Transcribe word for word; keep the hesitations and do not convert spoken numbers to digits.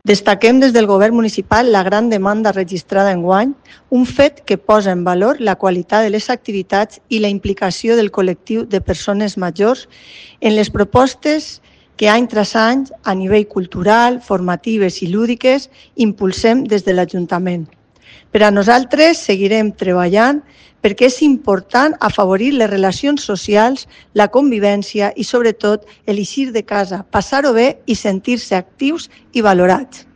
Destaquem des del Govern municipal la gran demanda registrada enguany, un fet que posa en valor la qualitat de les activitats i la implicació del col·lectiu de persones majors en les propostes que any tras any, a nivell cultural, formatives i lúdiques, impulsem des de l'Ajuntament. Per a nosaltres seguirem treballant perquè és important afavorir les relacions socials, la convivència i, sobretot, el eixir de casa, passar-ho bé i sentir-se actius i valorats.